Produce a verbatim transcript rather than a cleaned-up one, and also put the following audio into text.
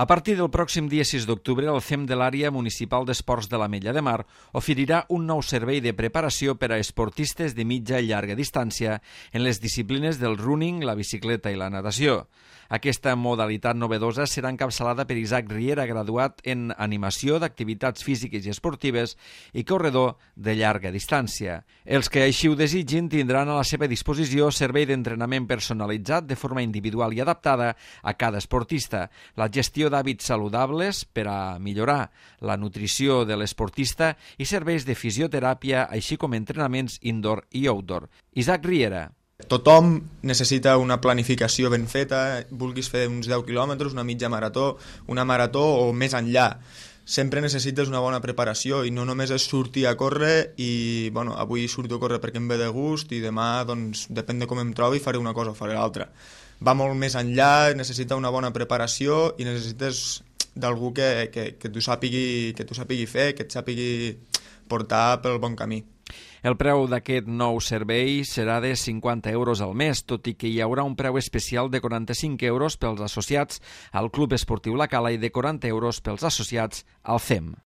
A partir del pròxim dia sis d'octubre, el C E M de l'Àrea Municipal d'Esports de l'Ametlla de Mar oferirà un nou servei de preparació per a esportistes de mitja i llarga distància en les disciplines del running, la bicicleta i la natació. Aquesta modalitat novedosa serà encapçalada per Isaac Riera, graduat en Animació d'Activitats Físiques i Esportives i corredor de llarga distància. Els que així ho desitgin tindran a la seva disposició servei d'entrenament personalitzat de forma individual i adaptada a cada esportista, la gestió d'hàbits saludables per a millorar la nutrició de l'esportista i serveis de fisioteràpia, així com entrenaments indoor i outdoor. Isaac Riera. Tothom necessita una planificació ben feta, vulguis fer uns deu quilòmetres, una mitja marató, una marató o més enllà. Sempre necessites una bona preparació i no només és sortir a córrer i, bueno, avui surto a córrer perquè em ve de gust i demà, doncs, depèn de com em trobi, faré una cosa o faré l'altra. Va molt més enllà, necessita una bona preparació i necessites d'algú que, que, que t'ho sàpigui, que t'ho sàpigui fer, que et sàpigui portar pel bon camí. El preu d'aquest nou servei serà de cinquanta euros al mes, tot i que hi haurà un preu especial de quaranta-cinc euros pels associats al Club Esportiu La Cala i de quaranta euros pels associats al C E M.